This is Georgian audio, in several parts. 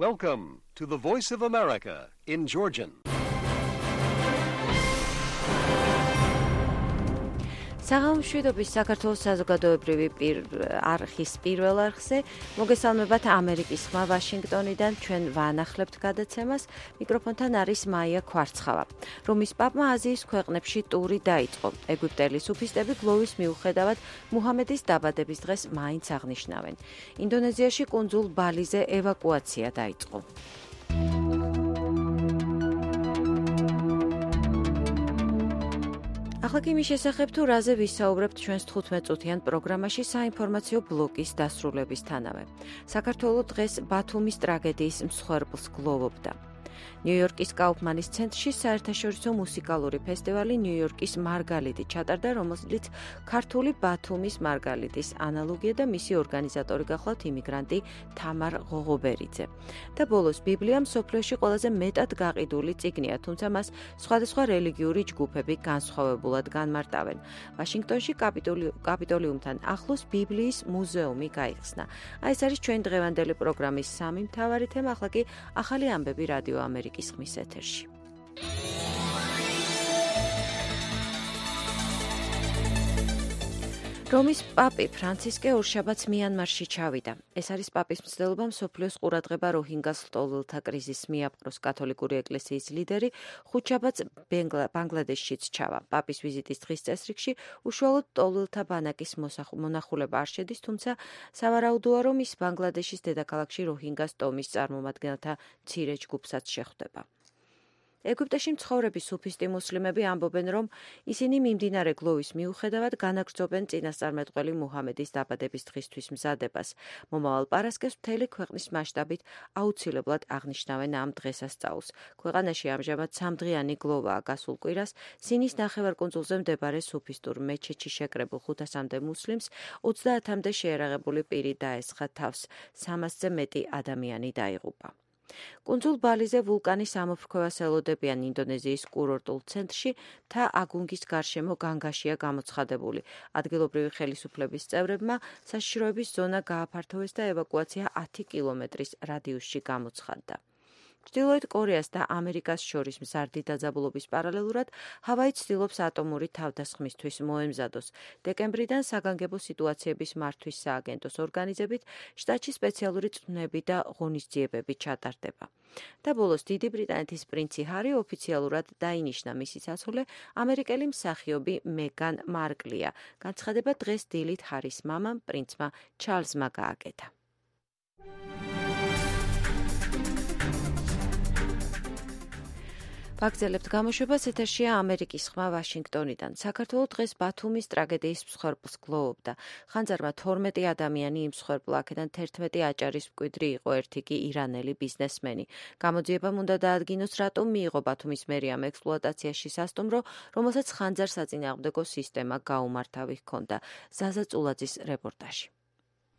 Welcome to the Voice of America in Georgian. საღამომშვიდობის საქართველოს საზოგადოებრივი არხის პირველ არხზე მოგესალმებათ ამერიკის ხმა ვაშინგტონიდან ჩვენ ვანახლებთ გადაცემას მიკროფონთან არის მაია ქვარცხავა. რომის პაპმა აზიის ქვეყნებში ტური დაიწყო. ეგვიპტელი სუფისტები გლოვის მიუხედავად მუჰამედის დაბადების დღეს მაინც აღნიშნავენ. ინდონეზიაში კუნძულ ბალიზე ევაკუაცია დაიწყო. ახლა კი მის შესახებ თუ რაზე ვისაუბრებთ ჩვენს 15 წუთიან პროგრამაში საინფორმაციო ბლოკის დასრულებისთანავე. საქართველო დღეს ბათუმის ტრაგედიის მსხვერპლს გლოვობდა. ნიუ-იორკის კაუფმანის ცენტრში საერთაშორისო მუსიკალური ფესტივალი ნიუ-იორკის მარგალიტი ჩატარდა, რომელიც ქართული ბათუმის მარგალიტის ანალოგია და მისი ორგანიზატორი გახლავთ იმიგრანტი თამარ ღოღობერიძე. და ბოლოს ბიბლია მსოფლიოში ყველაზე მეტად გაყიდული წიგნია, თუმცა მას სხვადასხვა რელიგიური ჯგუფები განსხვავებულად განმარტავენ. ვაშინგტონში კაპიტოლიუმთან ახლოს ბიბლიის მუზეუმი გაიხსნა. ეს არის ჩვენ დღევანდელი პროგრამის სამი მთავარი თემა, ახლა კი ახალი ამბები რადიო ამერიკის ხმის ეთერში. რომის პაპი ფრანცისკე ორშაბათს მიანმარში ჩავიდა. ეს არის პაპის მცდელობა მსოფლიოს ყურადღება როჰინგას ლტოლვილთა კრიზისს მიაპყროს კათოლიკური ეკლესიის ლიდერი ხუთშაბათს ბანგლადეშშიც ჩავა. პაპის ვიზიტის დღის წესრიგში უშუალოდ ლტოლვილთა ბანაკის მონახულება არ შედის, თუმცა სავარაუდოა, რომ ის ბანგლადეშის დედაქალაქში როჰინგას ტომის წარმომადგენელთა მცირე ჯგუფსაც შეხვდება. ეგვიპტეში მცხოვრები სუფისტი მუსლიმები ამბობენ, რომ ისინი მიმდინარე გლოვის მიუხედავად განაგრძობენ წინასწარმეტყველი მუჰამედის დაბადების დღისთვის მზადებას. მომავალ პარასკევს მთელი ქვეყნის მასშტაბით აუცილებლად აღნიშნავენ ამ დღესასწაულს. ქვეყანაში ამჟამად 3დღიანი გლოვაა გასულ კვირას. სინის ნახევარკუნძულზე მდებარე სუფისტურ მეჩეთში შეკრებულ 500-მდე მუსლიმს 30-მდე შეერაღებული პირი დაესხა თავს. 300-ზე მეტი ადამიანი დაიღუპა. კუნძულ ბალიზე ვულკანის ამოფრქვევას ელოდებიან ინდონეზიის კურორტულ ცენტრში მთა აგუნგის გარშემო განგაშია გამოცხადებული. ადგილობრივი ხელისუფლების წევრებმა საშიშროების ზონა გააფართოვეს და ევაკუაცია 10 კილომეტრის რადიუსში გამოცხადდა. ჩრდილოეთ კორეას და ამერიკას შორის მზარდი დაძაბულობის პარალელურად ჰავაი ცდილობს ატომური თავდასხმისთვის მოემზადოს. დეკემბრიდან საგანგებო სიტუაციების მართვის სააგენტოს ორგანიზებით შტატში სპეციალური წვნები და ღონისძიებები ჩატარდება. და ბოლოს დიდი ბრიტანეთის პრინცი ჰარი ოფიციალურად დაინიშნა, მისი საცოლე ამერიკელი მსახიობი მეგან მარკლია. განცხადება დღეს დილით ჰარის მამამ პრინცმა ჩარლზმა გააკეთა. ვაგრძელებთ გამოშვებას, ეთერშია ამერიკის ხმა ვაშინგტონიდან. საქართველო დღეს ბათუმის ტრაგედიის მსხვერპლს გლოვობდა. ხანძარმა 12 ადამიანი იმსხვერპლა, აქედან 11 აჭარის მკვიდრი იყო, ერთი კი ირანელი ბიზნესმენი. გამოძიებამ უნდა დაადგინოს, რატომ მიიღო ბათუმის მერიამ ექსპლუატაციაში სასტუმრო, რომელსაც ხანძარ საწინააღმდეგო სისტემა გაუმართავი ჰქონდა. ზაზა წულაძის რეპორტაჟი.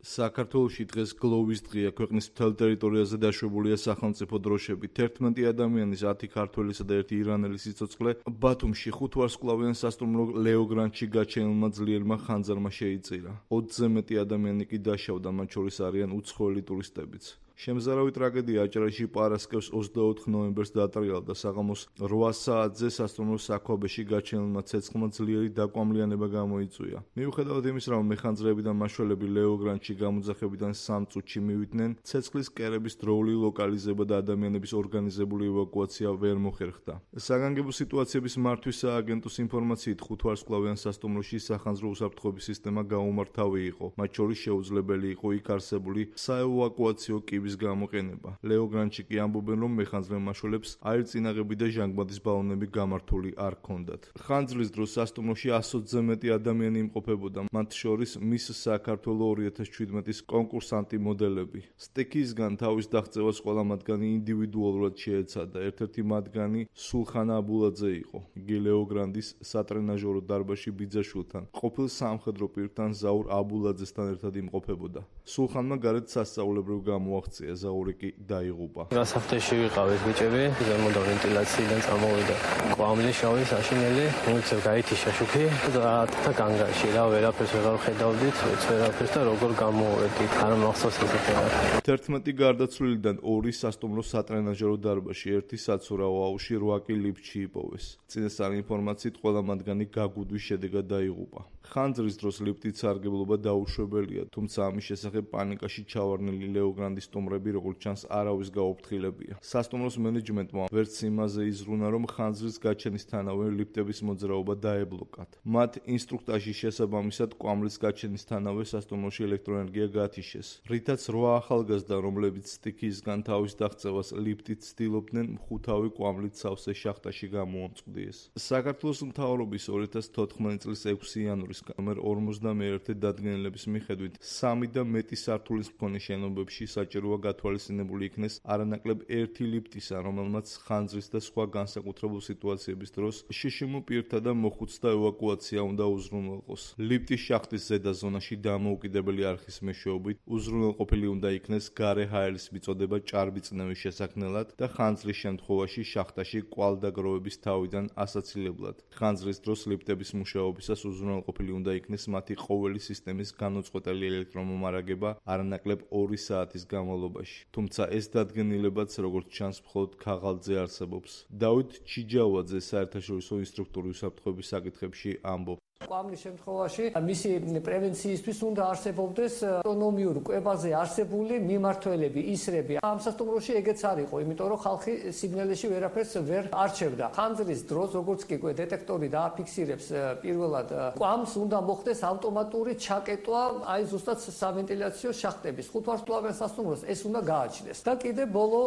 საქართველოში დღეს გლოვის დღეა. ქვეყნის მთელ ტერიტორიაზე დაშვებულია სახელმწიფო დროშები. 11 ადამიანის 10 ქართველისა და 1 ირანელი სიცოცხლე ბათუმში 5 ვარსკვლავიან სასტუმრო ლეო გრანდში გაჩენილმა ძლიერმა ხანძარმა შეიწირა. 20-ზე მეტი ადამიანი კი დაშავდა, მათ შორის არიან უცხოელი ტურისტებიც. შემზარავი ტრაგედია აჭარაში პარასკევს 24 ნოემბერს დაატრიალდა. საღამოს 8 საათზე სასტუმროს საქვაბეში გაჩენილმა ცეცხლმა ძლიერი დაკვამლიანება გამოიწვია. მიუხედავად იმის, რომ მეხანძრეები და მაშველები ლეო გრანდში გამოძახებიდან 3 წუთში მივიდნენ, ცეცხლის კერების დროული ლოკალიზება და ადამიანების ორგანიზებული ევაკუაცია ვერ მოხერხდა. საგანგებო სიტუაციების მართვის სააგენტოს ინფორმაციით 5 ვარსკვლავიან სასტუმროში სახანძრო უსაფრთხოების სისტემა გაუმართავი იყო. მათ შორის შეუძლებელი იყო იქ არსებული საევაკუაციო კიბის გამოყენება. ლეო გრანდში კი ამბობენ, რომ მეხანძრე მაშველებს აირწინაღები და ჟანგბადის ბალონები გამართული არ ჰქონდათ. ხანძრის დროს სასტუმროში 120-ზე მეტი ადამიანი იმყოფებოდა, მათ შორის მის საქართველო 2017-ის კონკურსანტი მოდელები. სტექისგან თავის დაღწევას ყველა მათგანი ინდივიდუალურად შეეცადა. ერთ-ერთი მათგანი სულხანა აბულაძე იყო. იგი ლეო გრანდის სატრენაჟორო დარბაზში ბიძაშვილთან, ყოფილ სამხედრო პირთან ზაურ აბულაძესთან ერთად იმყოფებოდა. სულხანმა გარეთ სასწაულებრივ გამოაღწია მოაღწია, ზაური კი დაიღუპა. გასახდეში ვიყავით ბიჭები, ზემოდან ვენტილაციიდან წამოვიდა კვამლი შავი საშინელი, მოიცევ გაითიშა შუქი და განგაში რა ვერაფერს ვეღარ ხედავდით, ვერაფერს და როგორ გამოვედით, არ მახსოვს ესეთი რა. 11 გარდაცვლილიდან 2 სასტუმრო სატრენაჟერო დარბაზში, 1 საცურაო აუზში, 8 კი ლიფტში იპოვეს. წინასწარი ინფორმაციით ყველა მათგანი გაგუდვის შედეგად დაიღუპა. ხანძრის დროს ლიფტით სარგებლობა დაუშვებელია, თუმცა ამის შესახებ პანიკაში ჩავარდნილი ლეოგრანდის სტუმრები, როგორც ჩანს, არავის გაუფრთხილებია. სასტუმროს მენეჯმენტმა ვერც იმაზე იზრუნა, რომ ხანძრის გაჩენისთანავე ლიფტების მოძრაობა დაებლოკათ. მათ ინსტრუქტაჟის შესაბამისად კვამლის გაჩენისთანავე სასტუმროში ელექტროენერგია გათიშეს, რითაც 8 ახალგაზრდა, რომლებიც სტიქიისგან თავის დაღწევას ლიფტით ცდილობდნენ, მხუთავი კვამლით სავსე შახტაში გამოამწყვდიეს. საქართველოს მთავრობის 2014 წლის 6 იანვრის ნომერ 51 დადგენილების მიხედვით 3 და მეტი სართულის მქონე შენობებში საჭიროა გათვალისწინებული იქნეს არანაკლებ 1 ლიფტისა, რომელმაც ხანძრის და სხვა განსაკუთრებულ სიტუაციების დროს შშმ პირთა და მოხუცთა ევაკუაცია უნდა უზრუნველყოს. ლიფტის შახტის ზედა ზონაში დამოუკიდებელი არხის მეშვეობით უზრუნველყოფილი უნდა იქნეს გარე ჰაერის მიწოდება ჭარბიწნევის შესაქმნელად და ხანძრის შემთხვევაში შახტაში კვალდაგროვების თავიდან ასაცილებლად. ხანძრის დროს ლიფტების მუშაობისას უზრუნველყოფილი უნდა იქნეს მათი ყოველი სისტემის განუწყვეტელი ელექტრომომარაგება არანაკლებ 2 საათის განმავლობაში. თუმცა ეს დადგენილებაც, როგორც ჩანს, მხოლოდ ქაღალდზე არსებობს. დავით ჩიჯავაძე საერთაშორისო ინსტრუქტორი უსაფრთხოების საკითხებში ამბობს. კვამლის შემთხვევაში მისი პრევენციისთვის უნდა არსებობდეს ავტონომიურ კვებაზე არსებული მიმართველები, ისრები. ამ სასტუმროში ეგეც არ იყო, იმიტომ რომ ხალხი სიგნალებში ვერაფერს ვერ არჩევდა. ხანძრის დროს, როგორც კი დეტექტორი დააფიქსირებს პირველად კვამს, უნდა მოხდეს ავტომატური ჩაკეტვა აი ზუსტად სავენტილიაციო შახტების. ხუთვარსკვლავიან სასტუმროს ეს უნდა გააჩნდეს. და კიდე ბოლო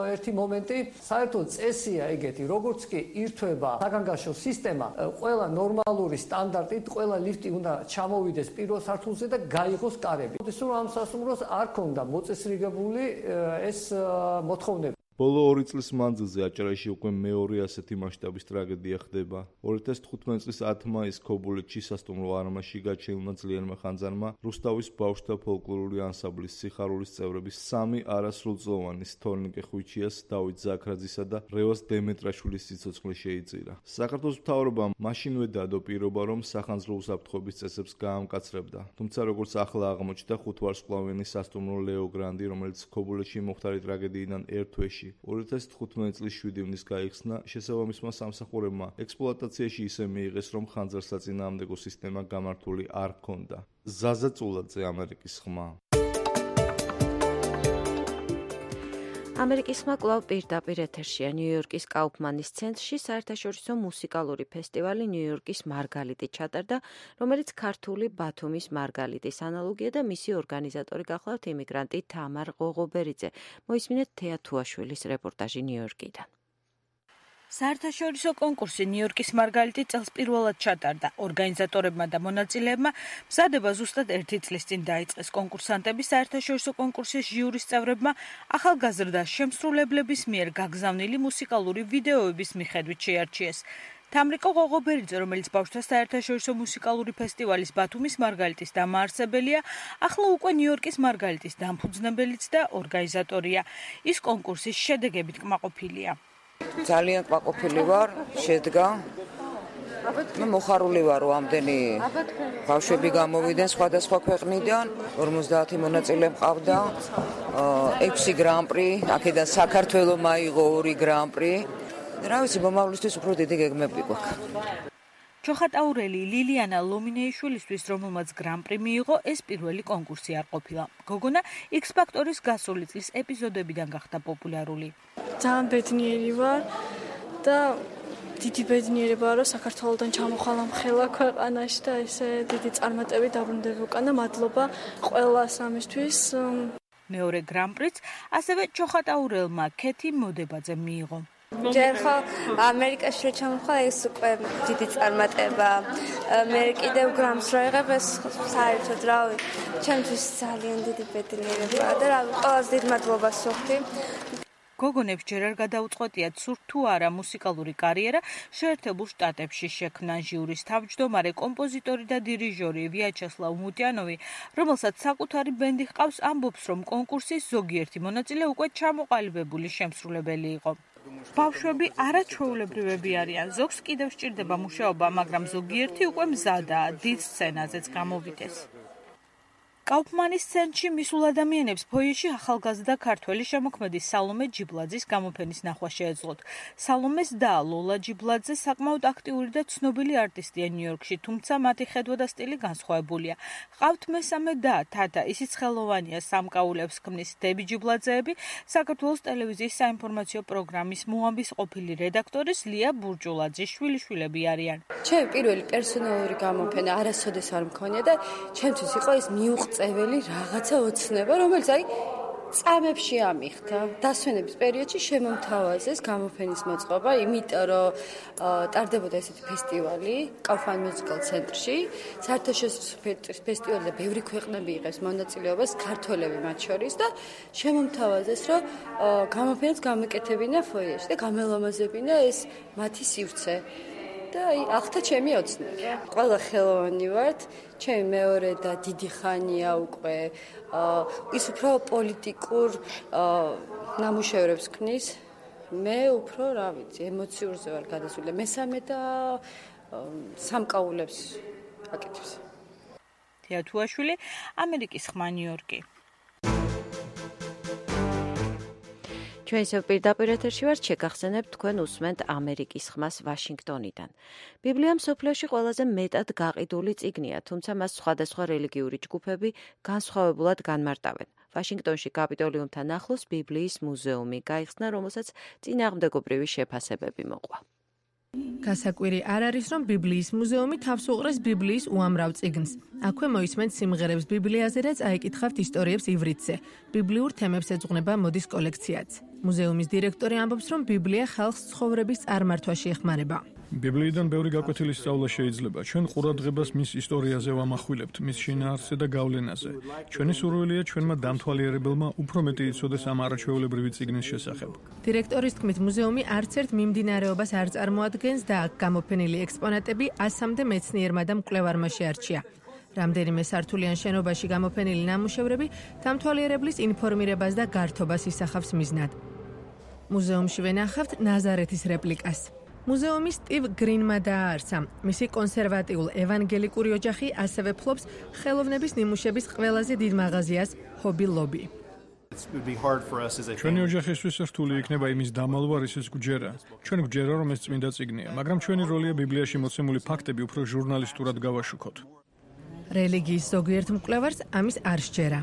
ერთი მომენტი, საერთოდ წესია ეგეთი, როგორც კი ირთვება საგანგაშო სისტემა, ყველა ნორმალური სტანდარტი ყველა ლიფტი უნდა ჩამოვიდეს პირველ სართულზე და გაიღოს კარები. ისე რომ ამ სასტუმროს არ ქონდა მოწესრიგებული ეს მოთხოვნები. ბოლო 2 წლის მანძილზე აჭარაში უკვე მეორე ასეთი მასშტაბის ტრაგედია ხდება. 2015 წლის 10 მაისს ქობულეთში სასტუმრო არმაში გაჩენილმა ძლიერმა ხანძარმა რუსთავის ბავშვთა ფოლკლორული ანსამბლის სიხარულის წევრების 3 არასრულწლოვანი თორნიკე ხვიჩიას, დავით ზაქრაძისა და რევაზ დემეტრაშვილის სიცოცხლე შეიწირა. საქართველოს მთავრობამ მაშინვე დადო პირობა, რომ სახანძრო უსაფრთხოების წესებს გაამკაცრებდა. თუმცა როგორც ახლა აღმოჩნდა, ხუთვარსკვლავიანი სასტუმრო ლეოგრანდი, რომელიც ქობულეთში მოხდარი ტრაგედიიდან ერთ თვეში 2015 წლის 7 ივნის გაიხსნა, შესაბამისმა სამსახურებმა ექსპლუატაციაში ისე მიიღეს, რომ ხანძარსაწინააღმდეგო სისტემა გამართული არ ჰქონდა. ზაზა წულაძე, ამერიკის ხმა. ამერიკის ხმა კვლავ პირდაპირ ეთერშია. ნიუ-იორკის კაუფმანის ცენტრში საერთაშორისო მუსიკალური ფესტივალი ნიუ-იორკის მარგალიტი ჩატარდა, რომელიც ქართული ბათუმის მარგალიტის ანალოგია და მისი ორგანიზატორი გახლავთ იმიგრანტი თამარ ღოღობერიძე. მოისმინეთ თეა თუაშვილის რეპორტაჟი ნიუ-იორკიდან. საერთაშორისო კონკურსი ნიუ-იორკის მარგალიტი წელს პირველად ჩატარდა. ორგანიზატორებმა და მონაწილეებმა მზადება ზუსტად 1 წლის წინ დაიწყეს. კონკურსანტები საერთაშორისო კონკურსის ჟიურის წევრებმა ახალგაზრდა შემსრულებლების მიერ გაგზავნილი მუსიკალური ვიდეოების მიხედვით შეარჩიეს. თამრიკო ღოღობერიძე, რომელიც ბავშვთა საერთაშორისო მუსიკალური ფესტივალის ბათუმის მარგალიტის დამაარსებელია, ახლა უკვე ნიუ-იორკის მარგალიტის დამფუძნებელიც და ორგანიზატორია. ის კონკურსის შედეგებით კმაყოფილია. ძალიან კმაყოფილი ვარ, შედგა. მოხარული ვარ, რომ ამდენი ბავშვები გამოვიდნენ სხვადასხვა ქვეყნიდან, 50 მონაწილე მყავდა, 6 გრან-პრი, აქედან საქართველო მაიღო 2 გრან-პრი. რა ვიცი, მომავლისთვის უფრო დიდი გეგმები გვაქვს. ჩოხატაურელი ლილიანა ლომინეიშვილისთვის, რომელმაც გრან-პრი მიიღო, ეს პირველი კონკურსი არ ყოფილა. გოგონა X-Factor-ის გასული წლის ეპიზოდებიდან გახდა პოპულარული. ძალიან ბედნიერი ვარ და დიდი ბედნიერებაა, რომ საქართველოდან ჩამოხვალა მხელა ქვეყანაში და ესე დიდი წარმატებით დაბრუნდება უკან და მადლობა ყველას ამისთვის. მეორე გრან-პრიც ასევე ჩოხატაურელმა ქეთი მოდებაძემ მიიღო. ჯერ ხო ამერიკაში ჩამოხვალა, ეს უკვე დიდი წარმატება. მე კიდევ გრამს რა იღებ, ეს საერთოდ რავი, ჩემთვის ძალიან დიდი ბედნიერებაა და რავი, ყველაზე დიდ მადლობას ვუხდი. გოგონებს ჯერ არ გადაუწყვეტიათ სურთ თუ არა მუსიკალური კარიერა შეერთებულ შტატებში შექმნან. ჟიურის თავმჯდომარე, კომპოზიტორი და დირიჟორი ვიაჩესლავ მუტიანოვი, რომელსაც საკუთარი ბენდი ჰყავს, ამბობს, რომ კონკურსის ზოგიერთი მონაწილე უკვე ჩამოყალიბებული შემსრულებელი იყო. ბავშვები არაჩვეულებრივები არიან. ზოგს კიდევ სჭირდება მუშაობა, მაგრამ ზოგიერთი უკვე მზადაა დიდ სცენაზეც გამოვიდეს. კაუფმანის ცენტრში მისულ ადამიანებს ფოიეში ახალგაზრდა ქართველი შემოქმედი სალომე ჯიბლაძის გამოფენის ნახვა შეეძლოთ. სალომეს და ლოლა ჯიბლაძე საკმაოდ აქტიური და ცნობილი არტისტია ნიუ-იორკში, თუმცა მათი ხედვა და სტილი განსხვავებულია. ყავთ მესამე და თათა, ისიც ხელოვანია, სამკაულებს ქმნის. დები ჯიბლაძეები საქართველოს ტელევიზიის საინფორმაციო პროგრამის მოამბის ყოფილი რედაქტორის ლია ბურჯულაძის შვილიშვილები არიან. ჩემი პირველი პერსონალური გამოფენა არასოდეს არ მქონია და ჩემთვის იყო ეს მიუღწეველი რაღაცა ოცნება, რომელიც წამებში ამიხდა. დასვენების პერიოდში შემომთავაზეს გამოფენის მოწყობა, იმიტომ რომ ტარდებოდა ესეთი ფესტივალი კაუფმან მუსიკალ ცენტრში. საერთაშორისო ფესტივალი და ბევრი ქვეყნები იღებს მონაწილეობას, ქართველები მათ შორის და შემომთავაზეს, რომ გამოფენას გამეკეთებინა ფოიეში და გამელამაზებინა ეს მათი სივრცე. და ახთა ჩემი ოცნება. ყველა ხელოვანი ვართ, ჩემი მეორე და დიდი ხანია უკვე ის უფრო პოლიტიკურ ნამუშევრებს ქმნის. მე უფრო, რა ვიცი, ემოციურზე ვარ გადასული. მესამე და სამკაულებს აკეთებს. თია თუაშვილი, ამერიკის ხმა ნიუ-იორკი. ჩვენ ისევ პირდაპირ ეთერში ვართ, შეგახსენებთ თქვენ უსმენთ ამერიკის ხმას ვაშინგტონიდან. ბიბლია მსოფლიოში ყველაზე მეტად გაყიდული წიგნია, თუმცა მას სხვადასხვა რელიგიური ჯგუფები განსხვავებულად განმარტავენ. ვაშინგტონში კაპიტოლიუმთან ახლოს ბიბლიის მუზეუმი გაიხსნა, რომელსაც წინააღმდეგობრივი შეფასებები მოყვა. გასაკვირი არ არის, რომ ბიბლიის მუზეუმი თავს უყრეს ბიბლიის უამრავ წიგნს. აქვე მოისმენთ სიმღერებს ბიბლიაზე და წაიკითხავთ ისტორიებს ივრითზე. ბიბლიურ თემებს ეძღვნება მოდის კოლექციაც. მუზეუმის დირექტორი ამბობს, რომ ბიბლია ხალხს ცხოვრების წარმართვაში ეხმარება. ბიბლიიდან ბევრი გაკვეთილი სწავლა შეიძლება. ჩვენ ყურადღებას მის ისტორიაზე ვამახვილებთ, მის შინაარსზე და გავლენაზე. ჩვენი სურვილია ჩვენმა დამთვალიერებელმა უფრო მეტი იცოდეს ამ არაჩვეულებრივი წიგნის შესახებ. დირექტორის თქმით, მუზეუმი არც ერთ მიმდინარეობას არ წარმოადგენს და აქ გამოფენილი ექსპონატები 100-მდე მეცნიერმა და მკვლევარმა შეარჩია. რამდენიმე სართულიან შენობაში გამოფენილი ნამუშევრები დამთვალიერებლის ინფორმირებას და გართობას ისახავს მიზნად. მუზეუმში ვენახავთ ნაზარეთის რეპლიკას. მუზეუმი სტივ გრინმა დააარსა. მისი კონსერვატიულ ევანგელიკური ოჯახი ასევე ფლობს ხელოვნების ნიმუშების ყველაზე დიდ მაღაზიას ჰობი ლობი. ჩვენი ოჯახისთვის რთული იქნება იმის დამალვა, რისიც გვჯერა. ჩვენ გვჯერა, რომ ეს წმინდა წიგნია, მაგრამ ჩვენი როლია ბიბლიაში მოცემული ფაქტები უფრო ჟურნალისტურად გავაშუქოთ. რელიგიის ზოგიერთ მკვლევარს ამის არ სჯერა.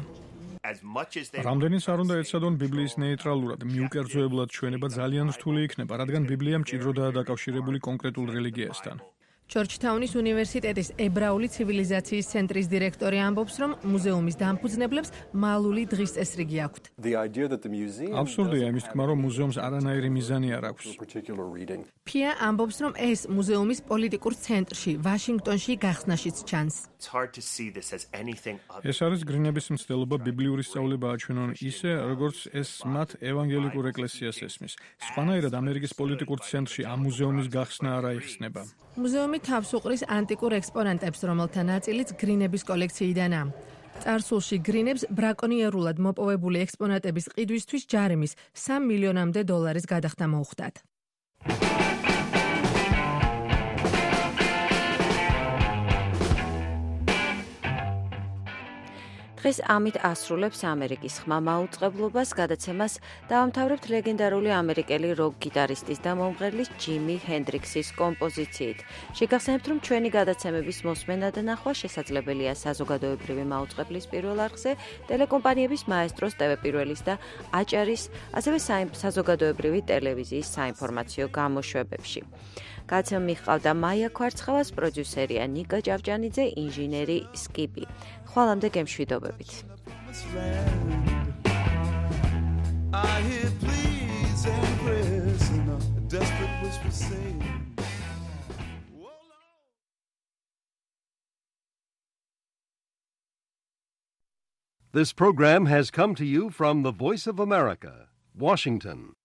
რამდენიც არ უნდა ეცადონ ბიბლიის ნეიტრალურად, მიუკერძოებლად ჩვენება ძალიან რთული იქნება, რადგან ბიბლია მჭიდროდაა დაკავშირებული კონკრეტულ რელიგიასთან. ჯორჯთაუნის უნივერსიტეტის ებრაული ცივილიზაციის ცენტრის დირექტორი ამბობს, რომ მუზეუმის დამფუძნებლებს მალული დღის წესრიგი აქვთ. აბსურდია იმის თქმა, რომ მუზეუმს არანაირი მიზანი არ აქვს. ფია ამბობს, რომ ეს მუზეუმის პოლიტიკურ ცენტრში, ვაშინგტონში გახსნაშიც ჩანს. ეს არის გრინების მცდელობა ბიბლიური სწავლება აჩვენონ ისე, როგორც ეს მათ ევანგელიკურ ეკლესიას ესმის. სხვანაირად ამერიკის პოლიტიკურ ცენტრში ამ მუზეუმის გახსნა არ აიხსნება. მუზეუმი თავს უყრის ანტიკურ ექსპონატებს, რომელთა ნაწილიც გრინების კოლექციიდანაა. წარსულში გრინებს ბრაკონიერულად მოპოვებული ექსპონატების ყიდვისთვის ჯარიმის $3 მილიონამდე გადახდა მოუხდათ. დღეს ამით ასრულებს ამერიკის ხმა მაუწყებლობას, გადაცემას დავამთავრებთ ლეგენდარული ამერიკელი როკ გიტარისტის და მომღერლის ჯიმი ჰენდრიქსის კომპოზიციით. შეგახსენებთ, რომ ჩვენი გადაცემების მოსმენა და ნახვა შესაძლებელია საზოგადოებრივი მაუწყებლის პირველ არხზე, ტელეკომპანიების მაესტროს TV1-ის და აჭარის, ასევე საზოგადოებრივი ტელევიზიის საინფორმაციო გამოშვებებში. გადაცემა მიჰყავდა მაია ქვარცხავას, პროდიუსერია ნიკა ჭავჭანიძე, ინჟინერი სკიპი. ხვალამდე გემშვიდობებით. This program has come to you from the Voice of America, Washington.